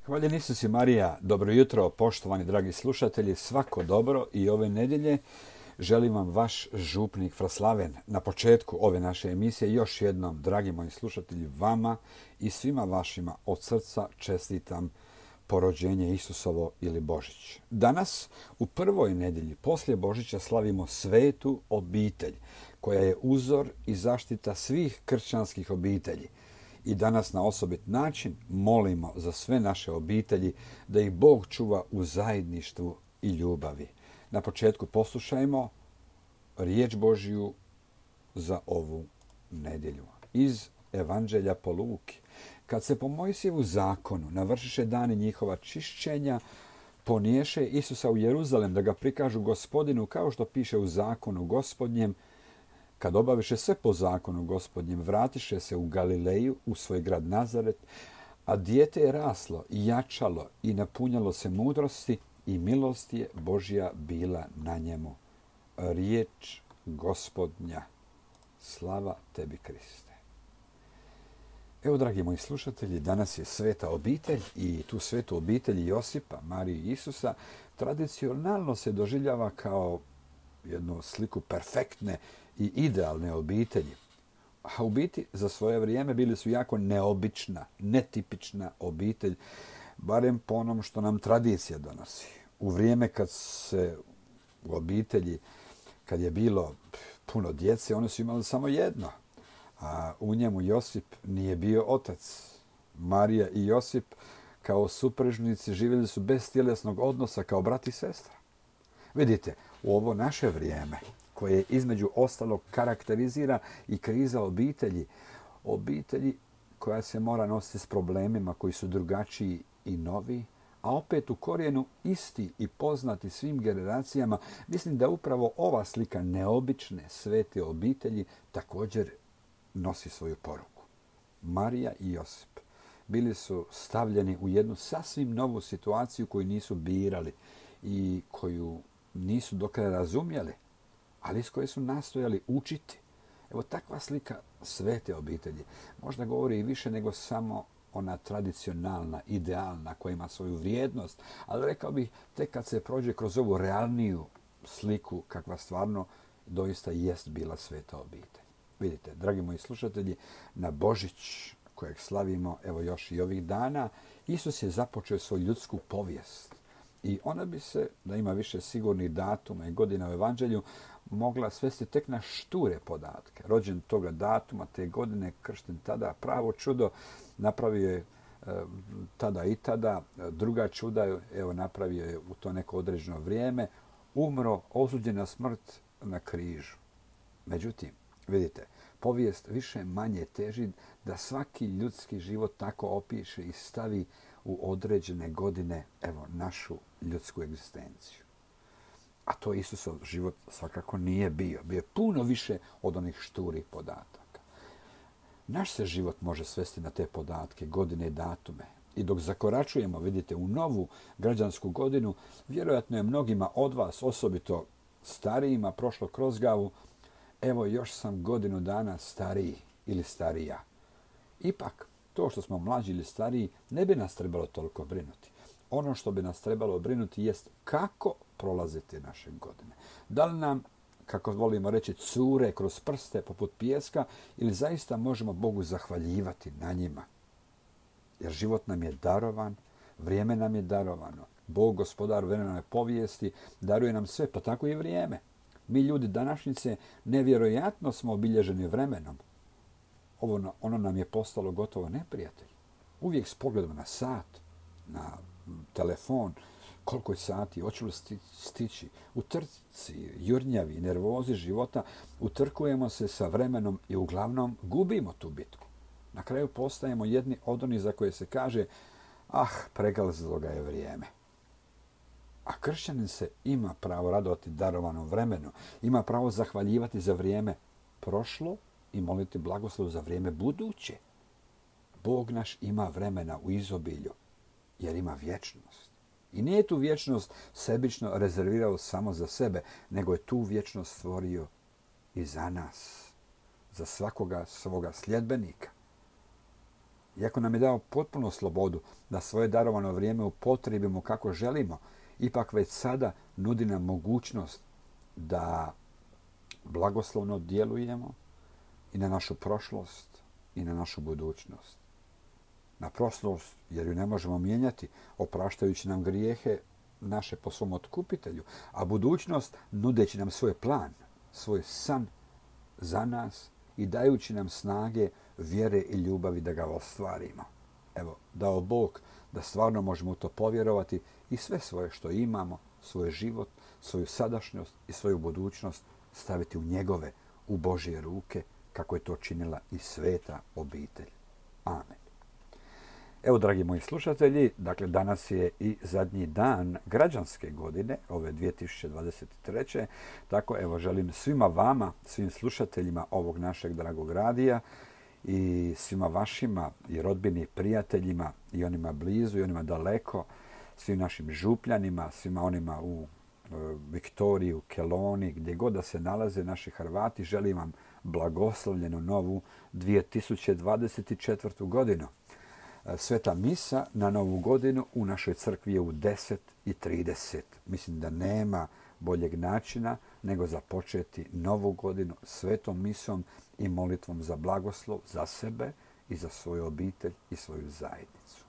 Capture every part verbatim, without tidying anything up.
Hvaljen Isus i Marija, dobro jutro, poštovani dragi slušatelji, svako dobro i ove nedjelje želim vam vaš župnik Fraslaven. Na početku ove naše emisije još jednom, dragi moji slušatelji, vama i svima vašima od srca čestitam porođenje Isusovo ili Božić. Danas, u prvoj nedjelji poslije Božića, slavimo svetu obitelj, koja je uzor i zaštita svih kršćanskih obitelji. I danas na osobit način molimo za sve naše obitelji da ih Bog čuva u zajedništvu i ljubavi. Na početku poslušajmo riječ Božju za ovu nedjelju. Iz Evanđelja po Luki. Kad se po Mojsijevu zakonu navršiše dani njihova čišćenja, poniješe Isusa u Jeruzalem da ga prikažu Gospodinu kao što piše u zakonu Gospodnjem. Kad obaviše sve po zakonu Gospodnjem, vratiše se u Galileju, u svoj grad Nazaret, a dijete je raslo i jačalo i napunjalo se mudrosti i milost je Božja bila na njemu. Riječ Gospodnja. Slava tebi, Kriste. Evo, dragi moji slušatelji, danas je sveta obitelj i tu svetu obitelj Josipa, Marije i Isusa tradicionalno se doživljava kao jednu sliku perfektne i idealne obitelji. A u biti za svoje vrijeme bili su jako neobična, netipična obitelj, barem po onom što nam tradicija donosi. U vrijeme kad se u obitelji, kad je bilo puno djece, oni su imali samo jedno. A u njemu Josip nije bio otac. Marija i Josip kao supružnici živjeli su bez tjelesnog odnosa kao brat i sestra. Vidite, u ovo naše vrijeme, koje između ostalog karakterizira i kriza obitelji, obitelji koja se mora nositi s problemima koji su drugačiji i novi, a opet u korijenu isti i poznati svim generacijama, mislim da upravo ova slika neobične svete obitelji također nosi svoju poruku. Marija i Josip bili su stavljeni u jednu sasvim novu situaciju koju nisu birali i koju nisu do kraja razumjeli, ali iz koje su nastojali učiti. Evo, takva slika svete obitelji možda govori i više nego samo ona tradicionalna, idealna, koja ima svoju vrijednost, ali rekao bih tek kad se prođe kroz ovu realniju sliku kakva stvarno doista jest bila sveta obitelj. Vidite, dragi moji slušatelji, na Božić kojeg slavimo evo još i ovih dana, Isus je započeo svoju ljudsku povijest. I ona bi se, da ima više sigurnih datuma i godina u Evanđelju, mogla svesti tek na šture podatke. Rođen toga datuma, te godine, kršten tada, pravo čudo, napravio je e, tada i tada, druga čuda, evo napravio je u to neko određeno vrijeme, umro, osuđen na smrt na križu. Međutim, vidite, povijest više manje teži da svaki ljudski život tako opiše i stavi u određene godine, evo, našu ljudsku egzistenciju. A to Isusov život svakako nije bio. Bio je puno više od onih šturih podataka. Naš se život može svesti na te podatke, godine i datume. I dok zakoračujemo, vidite, u novu građansku godinu, vjerojatno je mnogima od vas, osobito starijima, prošlo kroz glavu, evo još sam godinu dana stariji ili starija. Ipak, to što smo mlađi ili stariji ne bi nas trebalo toliko brinuti. Ono što bi nas trebalo brinuti jest kako prolaziti naše godine. Da li nam, kako volimo reći, cure kroz prste poput pijeska ili zaista možemo Bogu zahvaljivati na njima. Jer život nam je darovan, vrijeme nam je darovano. Bog, gospodar vremena povijesti, daruje nam sve, pa tako i vrijeme. Mi ljudi današnjice nevjerojatno smo obilježeni vremenom. Ovo, ono nam je postalo gotovo neprijatelj. Uvijek s pogledom na sat, na telefon, koliko je sati, hoću li stići. U trci, jurnjavi, nervozi života utrkujemo se sa vremenom i uglavnom gubimo tu bitku. Na kraju postajemo jedni od onih za koje se kaže, ah, pregazilo ga je vrijeme. A kršćanin se ima pravo radovati darovanom vremenu, ima pravo zahvaljivati za vrijeme prošlo i moliti blagoslov za vrijeme buduće. Bog naš ima vremena u izobilju, jer ima vječnost. I nije tu vječnost sebično rezervirao samo za sebe, nego je tu vječnost stvorio i za nas, za svakoga svoga sljedbenika. iako nam je dao potpunu slobodu da svoje darovano vrijeme upotrijebimo kako želimo, ipak već sada nudi nam mogućnost da blagoslovno djelujemo i na našu prošlost i na našu budućnost. Na prošlost, jer ju ne možemo mijenjati, opraštajući nam grijehe naše po svom otkupitelju, a budućnost nudeći nam svoj plan, svoj san za nas i dajući nam snage, vjere i ljubavi da ga ostvarimo. Evo, dao Bog da stvarno možemo u to povjerovati i sve svoje što imamo, svoj život, svoju sadašnjost i svoju budućnost staviti u njegove, u Božje ruke, kako je to činila i sveta obitelj. Amen. Evo, dragi moji slušatelji, dakle danas je i zadnji dan građanske godine, ove dvije tisuće dvadeset treće. Tako, evo, želim svima vama, svim slušateljima ovog našeg dragog radija i svima vašima i rodbini i prijateljima i onima blizu i onima daleko, svim našim župljanima, svima onima u e, Viktoriji, u Keloni, gdje god da se nalaze naši Hrvati, želim vam blagoslovljenu novu dvije tisuće dvadeset četvrtu godinu. Sveta misa na novu godinu u našoj crkvi je u deset i trideset. Mislim da nema boljeg načina nego započeti novu godinu svetom misom i molitvom za blagoslov za sebe i za svoju obitelj i svoju zajednicu.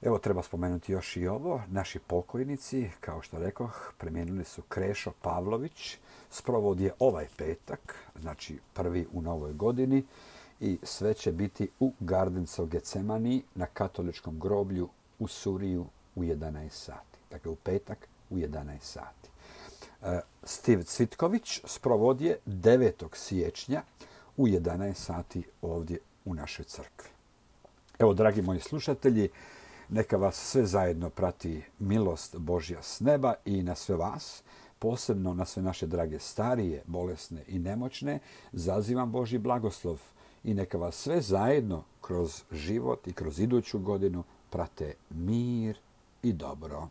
Evo, treba spomenuti još i ovo. Naši pokojnici, kao što rekoh, preminuli su Krešo Pavlović. Sprovod je ovaj petak, znači prvi u novoj godini, i sve će biti u Gardencu Getsemani na katoličkom groblju u Suriju u jedanaest sati. Dakle, u petak u jedanaest sati. Steve Cvitković sprovod je devetog siječnja u jedanaest sati ovdje u našoj crkvi. Evo, dragi moji slušatelji, neka vas sve zajedno prati milost Božja s neba i na sve vas, posebno na sve naše drage starije, bolesne i nemoćne, zazivam Božji blagoslov i neka vas sve zajedno kroz život i kroz iduću godinu prate mir i dobro.